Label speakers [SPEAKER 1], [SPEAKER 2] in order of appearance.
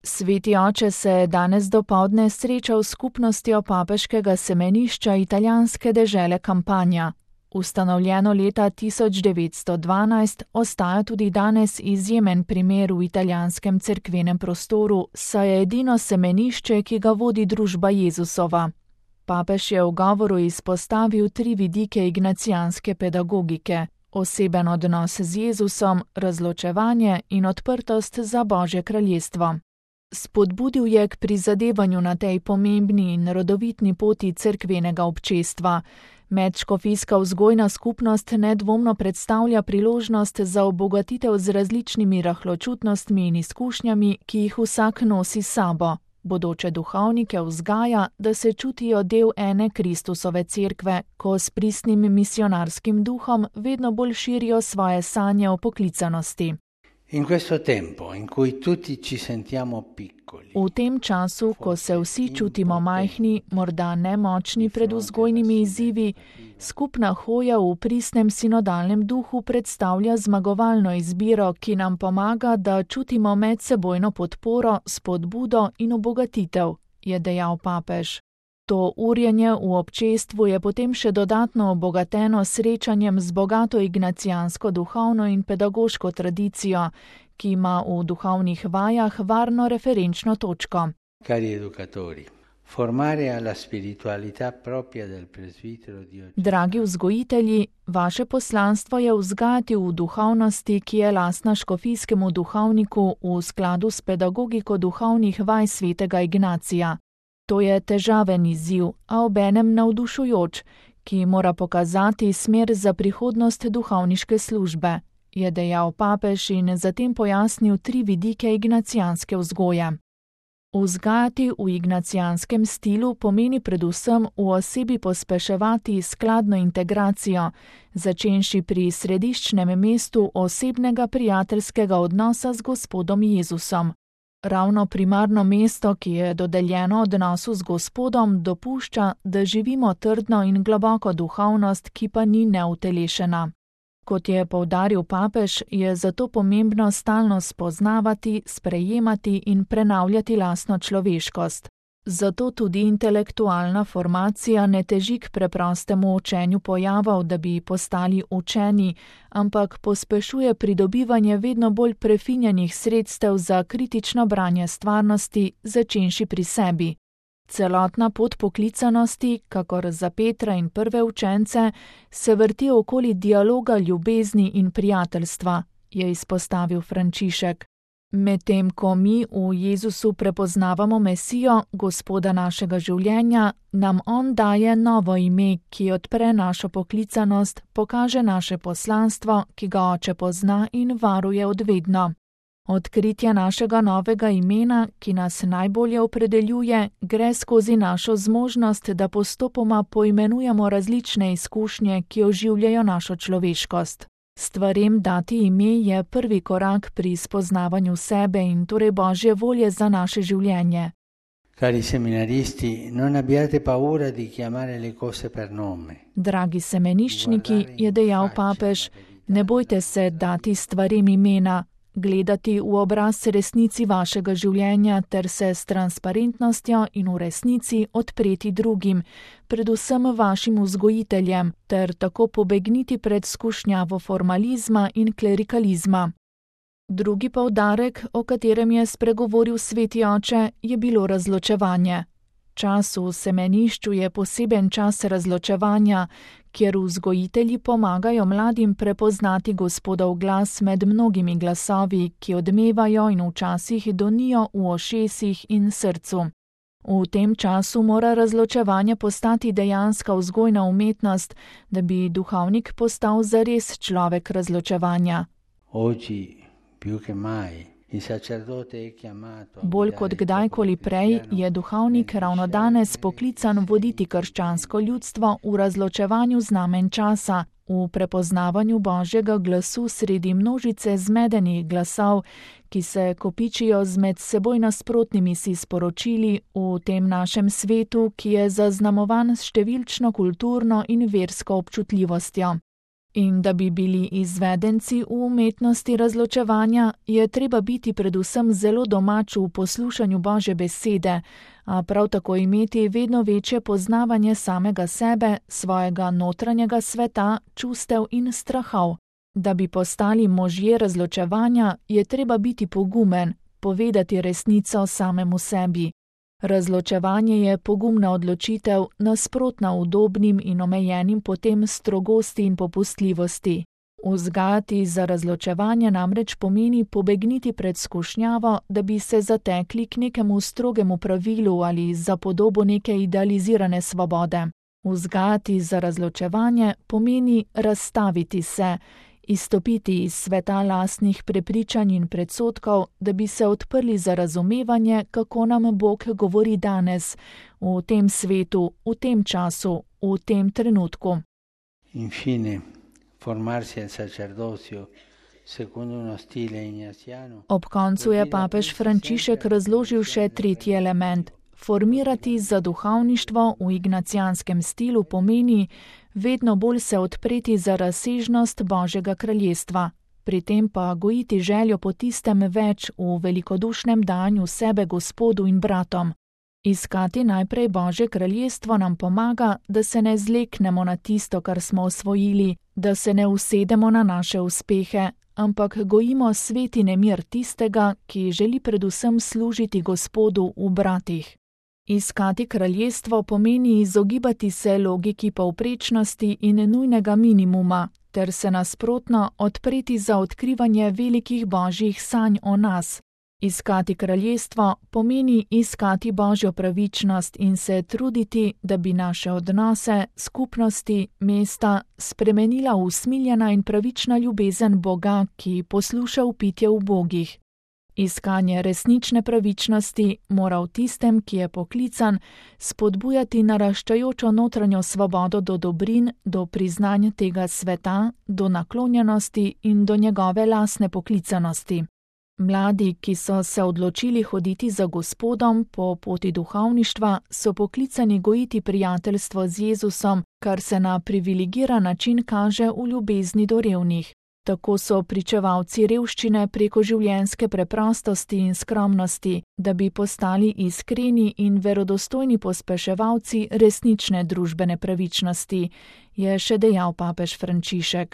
[SPEAKER 1] Sveti oče se je danes dopoldne srečal s skupnostjo papeškega semenišča italijanske dežele Campania. Ustanovljeno leta 1912 ostaja tudi danes izjemen primer v italijanskem cerkvenem prostoru, saj je edino semenišče, ki ga vodi družba Jezusova. Papež je v govoru izpostavil 3 vidike ignacijanske pedagogike: oseben odnos z Jezusom, razločevanje in odprtost za Božje kraljestvo. Spodbudil je k prizadevanju na tej pomembni in rodovitni poti cerkvenega občestva. Medškofijska vzgojna skupnost nedvomno predstavlja priložnost za obogatitev z različnimi rahločutnostmi in izkušnjami, ki jih vsak nosi s sabo. Bodoče duhovnike vzgaja, da se čutijo del ene Kristusove cerkve, ko s pristnim misionarskim duhom vedno bolj širijo svoje sanje o poklicanosti. V tem času, ko se vsi čutimo majhni, morda nemočni pred vzgojnimi izzivi, skupna hoja v pristnem sinodalnem duhu predstavlja zmagovalno izbiro, ki nam pomaga, da čutimo medsebojno podporo, spodbudo in obogatitev, je dejal papež. To urjenje v občestvu je potem še dodatno obogateno srečanjem z bogato ignacijansko duhovno in pedagoško tradicijo, ki ima v duhovnih vajah varno referenčno točko. Dragi vzgojitelji, vaše poslanstvo je vzgajati v duhovnosti, ki je lastna škofijskemu duhovniku v skladu s pedagogiko duhovnih vaj svetega Ignacija. To je težaven izziv, a obenem navdušujoč, ki mora pokazati smer za prihodnost duhovniške službe, je dejal papež in zatem pojasnil 3 vidike ignacijanske vzgoje. Vzgajati v ignacijanskem stilu pomeni predvsem v osebi pospeševati skladno integracijo, začenši pri središčnem mestu osebnega prijateljskega odnosa z Gospodom Jezusom. Ravno primarno mesto, ki je dodeljeno odnosu z Gospodom, dopušča, da živimo trdno in globoko duhovnost, ki pa ni neutelešena. Kot je poudaril papež, je zato pomembno stalno spoznavati, sprejemati in prenavljati lastno človeškost. Zato tudi intelektualna formacija ne teži k preprostemu učenju pojavov, da bi postali učeni, ampak pospešuje pridobivanje vedno bolj prefinjenih sredstev za kritično branje stvarnosti, začenši pri sebi. Celotna pot poklicanosti, kakor za Petra in prve učence, se vrti okoli dialoga ljubezni in prijateljstva, je izpostavil Frančišek. Medtem ko mi v Jezusu prepoznavamo Mesijo, Gospoda našega življenja, nam On daje novo ime, ki odpre našo poklicanost, pokaže naše poslanstvo, ki ga Oče pozna in varuje odvedno. Odkritje našega novega imena, ki nas najbolje opredeljuje, gre skozi našo zmožnost, da postopoma poimenujemo različne izkušnje, ki oživljajo našo človeškost. Stvarem dati ime je prvi korak pri spoznavanju sebe in torej Božje volje za naše življenje.
[SPEAKER 2] Cari seminaristi, non abbiate paura di chiamare le cose per nome.
[SPEAKER 1] Dragi semeniščniki, je dejal papež, ne bojte se dati stvarem imena, gledati v obraz resnici vašega življenja ter se s transparentnostjo in v resnici odpreti drugim, predvsem vašim vzgojiteljem, ter tako pobegniti pred skušnjavo formalizma in klerikalizma. Drugi poudarek, o katerem je spregovoril sveti oče, je bilo razločevanje. Čas v semenišču je poseben čas razločevanja, kjer vzgojitelji pomagajo mladim prepoznati Gospodov glas med mnogimi glasovi, ki odmevajo in včasih donijo v ušesih in srcu. V tem času mora razločevanje postati dejanska vzgojna umetnost, da bi duhovnik postal zares človek razločevanja. Bolj kot kdajkoli prej je duhovnik ravno danes poklican voditi krščansko ljudstvo v razločevanju znamen časa, v prepoznavanju Božjega glasu sredi množice zmedenih glasov, ki se kopičijo z med seboj nasprotnimi si sporočili v tem našem svetu, ki je zaznamovan s številčno kulturno in versko občutljivostjo. In da bi bili izvedenci v umetnosti razločevanja, je treba biti predvsem zelo domač v poslušanju Božje besede, a prav tako imeti vedno večje poznavanje samega sebe, svojega notranjega sveta, čustev in strahov. Da bi postali možje razločevanja, je treba biti pogumen, povedati resnico samemu sebi. Razločevanje je pogumna odločitev, nasprotna udobnim in omejenim potem strogosti in popustljivosti. Vzgajati za razločevanje namreč pomeni pobegniti pred skušnjavo, da bi se zatekli k nekemu strogemu pravilu ali za podobo neke idealizirane svobode. Vzgajati za razločevanje pomeni razstaviti se, izstopiti iz sveta lastnih prepričanj in predsodkov, da bi se odprli za razumevanje, kako nam Bog govori danes, v tem svetu, v tem času, v tem trenutku.
[SPEAKER 2] Infine, formarsi al sacerdozio secondo uno stile ignatiano.
[SPEAKER 1] Ob koncu je papež Frančišek razložil še tretji element. Formirati za duhovništvo v ignacijanskem stilu pomeni vedno bolj se odpreti za razsežnost Božjega kraljestva, pri tem pa gojiti željo po tistem več v velikodušnem danju sebe Gospodu in bratom. Iskati najprej Božje kraljestvo nam pomaga, da se ne zleknemo na tisto, kar smo osvojili, da se ne usedemo na naše uspehe, ampak gojimo sveti nemir tistega, ki želi predvsem služiti Gospodu v bratih. Iskati kraljestvo pomeni izogibati se logiki povprečnosti in nujnega minimuma, ter se nasprotno odpreti za odkrivanje velikih božjih sanj o nas. Iskati kraljestvo pomeni iskati Božjo pravičnost in se truditi, da bi naše odnose, skupnosti, mesta spremenila v usmiljena in pravična ljubezen Boga, ki posluša vpitje ubogih. Iskanje resnične pravičnosti mora v tistem, ki je poklican, spodbujati naraščajočo notranjo svobodo do dobrin, do priznanja tega sveta, do naklonjenosti in do njegove lastne poklicanosti. Mladi, ki so se odločili hoditi za Gospodom po poti duhovništva, so poklicani gojiti prijateljstvo z Jezusom, kar se na privilegiran način kaže v ljubezni do revnih. Tako so pričevalci revščine preko življenjske preprostosti in skromnosti, da bi postali iskreni in verodostojni pospeševalci resnične družbene pravičnosti, je še dejal papež Frančišek.